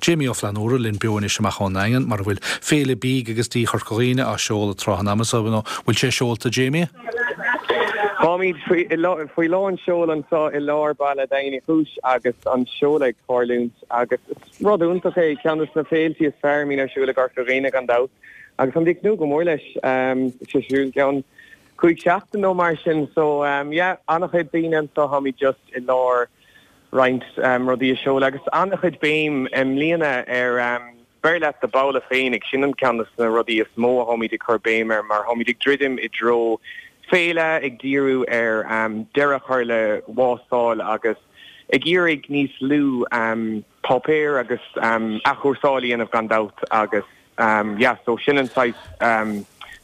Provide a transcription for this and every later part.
Jamie Ó Flannúra linn beo anois amach ón nDaingean, mar a bhfuil Féile Bídh agus Dí Chorca Dhuibhne á seoladh tráth an ama so, nó bhfuil sé seolta, Jamie? Táimid faoi lán seoil anseo i lár baile Daingean Uí Chúis agus an seoladh ag tarlúint agus is rud iontach é, ceann de na féiltí is fearr a mbíonn ar siúl i gCorca Dhuibhne gan dabht agus táimid ag tnúth go mór leis. Tá sé ar siúl i gceann 5 seachtain nó mar sin so yeah, an-chuid daoine anseo, táimid just i lár roinnt rudaí a seoladh agus an-chuid béim i mbliana ar beir leat do bhabhla féinig, sin an ceann de na rudaí is mó a tháimid ag cur béim air mar tháimid ag druidim i dtreo féile, ag díriú ar deireadh a chur le wástáil agus ag iarraidh níos lú páipéir agus athchúrsáil a dhéanamh gan dabht agus yeah so sin an saghas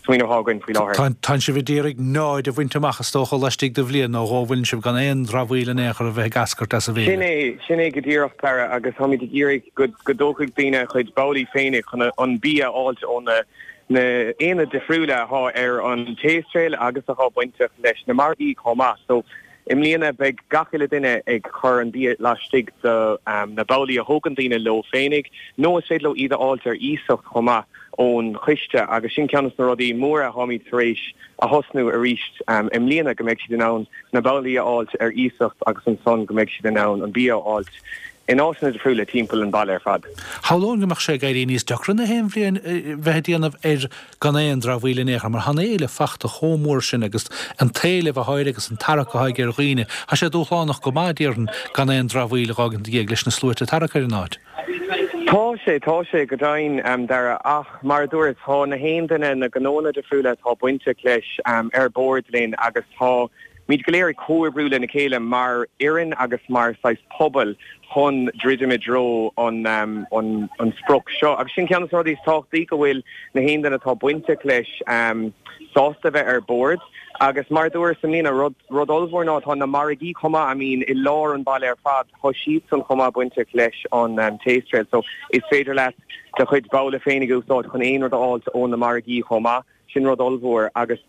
smaoineamh atá againn faoi láthair. Tánn sibh ag iarraidh náid a bhaint amach is dócha laistigh de bhliain nó dhó, bhfuileann sibh gan aon dramhaíl in aon chor a bheith ag eascairt as an bhféile. Sin é, sin é go díreach Dara agus táimid ag iarraidh go go dtógfaidh daoine a chuid babhlaí féinig chun an bia a fháilt ó na na aonaid difriúla atá ar an Taste Trail agus atá bainteach leis na margaí chomh maith. So I mbliana beidh gach uile duine ag cur an bia laistigh de na babhlaí a thógann daoine leo féinig nó is féidir leo iad a fháilt ar iasacht chomh maith ón choiste agus sin ceann de na rudaí móra atáimid tar éis a thosnú arís i mbliana go mbeidh siad in ann na babhlaí a fháilt ar iasacht agus ansan go mbeidh siad in ann an bia a fháilt in áiteanna difriúla timpeall an bhaile ar fad. Shamhlóinn go mbeadh sé ag éirí níos deacra na haon bhliain bheith ag déanamh ar gan aon dramhaíl in aon chor, mar tá an fhéile fachta chomh mór sin agus an t-éileamh atá air agus an tarrac atá aige ar dhaoine. Tá sé dúshlánach go maith, déarfainn, gan aon dramhaíl a dh'fhágaint ina dhiaidh leis na sluaite ag tarrac ar an áit. Tá sé, tá sé go deimhin, Dara, ach mar a dúras, tá na haon duine, na gnóanna difriúla atá bainteach leis ar bord linn agus tá, Muid go léir ag comhoibriú lena chéile mar fhoireann agus mar saghas pobal chun druidim i dtreo an an sprioc seo. Agus sin ceann de na rudaí is tábhachtaí, go bhfuil na haon duine atá bainteach leis sásta bheith ar bord. Agus mar a dúras i mbliana, rud rud ollmhór ná tá na margaí chomh maith, I mean i lár an bhaile ar fad, tá siadsan chomh maith bainteach leis an Taste Trail. So is féidir leat do chuid babhla féinig a úsáid chun aon rud a fháilt ó na margaí chomh maith. Sin rud ollmhór agus.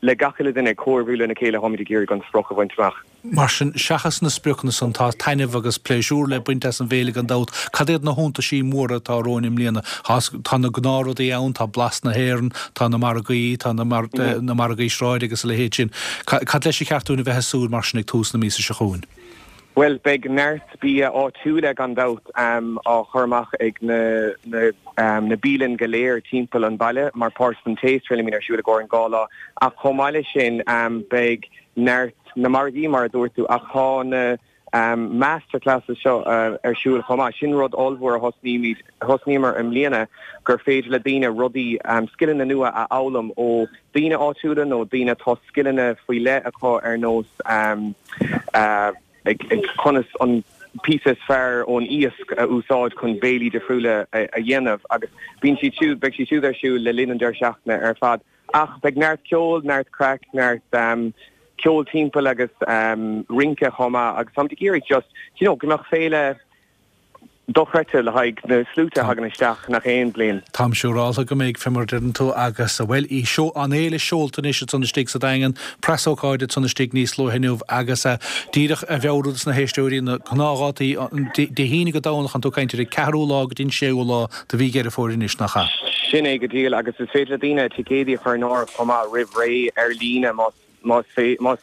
Le gach uile duine ag comhoibriú lena chéile táimid ag iarraidh an sprioc a bhaint amach. Mar sin, seachas na spriocanna san, tá taitneamh agus pléisiúr le baint as an bhféile gan dabht. Cad iad na hiontaisí móra atá romhainn i mbliana? Tá na gnáthrudaí ann, tá Blas na hÉireann, tá na margaí, tá na margaí sráide agus a leithéid sin. Cad leis ar cheart dúinn a bheith ag súil mar sin ag tús na míosa seo chugainn? Bhuel, beidh neart bia áitiúla gan dabht á chur amach ag na na bialann go léir timpeall an bhaile mar páirt den Taste Trail a mbíonn ar siúl i gcomhair an 2 lá. Ach chomh maith leis sin beidh neart na margaí mar a dúirt tú ach tá na masterclasses seo ar siúl chomh maith. Sin rud ollmhór a thosnaímid, thosnaíomar i mbliana gur féidir le daoine rudaí, scileanna nua a fhoghlaim ó daoine áitiúla nó daoine atá scileanna faoi leith acu ar nós conas an píosa is fearr ón iasc a úsáid chun béilí difriúla a dhéanamh agus bíonn siad siúd, beidh siad siúd ar siúl le linn an deireadh seachtaine ar fad. Ach beidh neart ceoil, neart craic, neart ceol timpeall agus rince chomh maith agus táimid ag iarraidh just, you know, go mbeadh féile dochreidte le haghaidh na sluaite a thagann isteach nach aon bhliain. Táim siúrálta go mbeidh, fé mar a deireann tú, agus, bhuel, í seo, an fhéile seolta anois ansan istigh sa Daingean, preasócáid ansan istigh níos luaithe inniu agus díreach a mheabhrú dos na héisteoirí na gnáthdhátaí, Dé hAoine go Domhnach, an tú ag caint ar an ceathrú lá go dtí an séú lá de mhí Dheireadh Fómhair anois, nach ea? Sin é go díreach agus is féidir le daoine ticéidí a chur in áirithe chomh maith roimh ré ar líne más más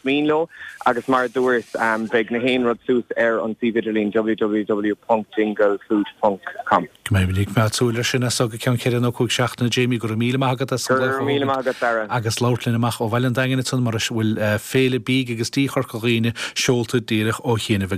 mian leo agus mar a dúras beidh na haon rud suas ar an suíomh idirlín www.dinglefood.com. Go mbeimid ag coimeád súil air sin as so go ceann ceithre nó cúig seachtaine Jamie, go raibh míle maith agat as an Go raibh míle maith agat Dara. agus labhairt linn amach ó Bhaile an Daingin ansan mar a bhfuil Féile Bídh agus Dí Chorca Dhuibhne seolta díreach ó chianaibh.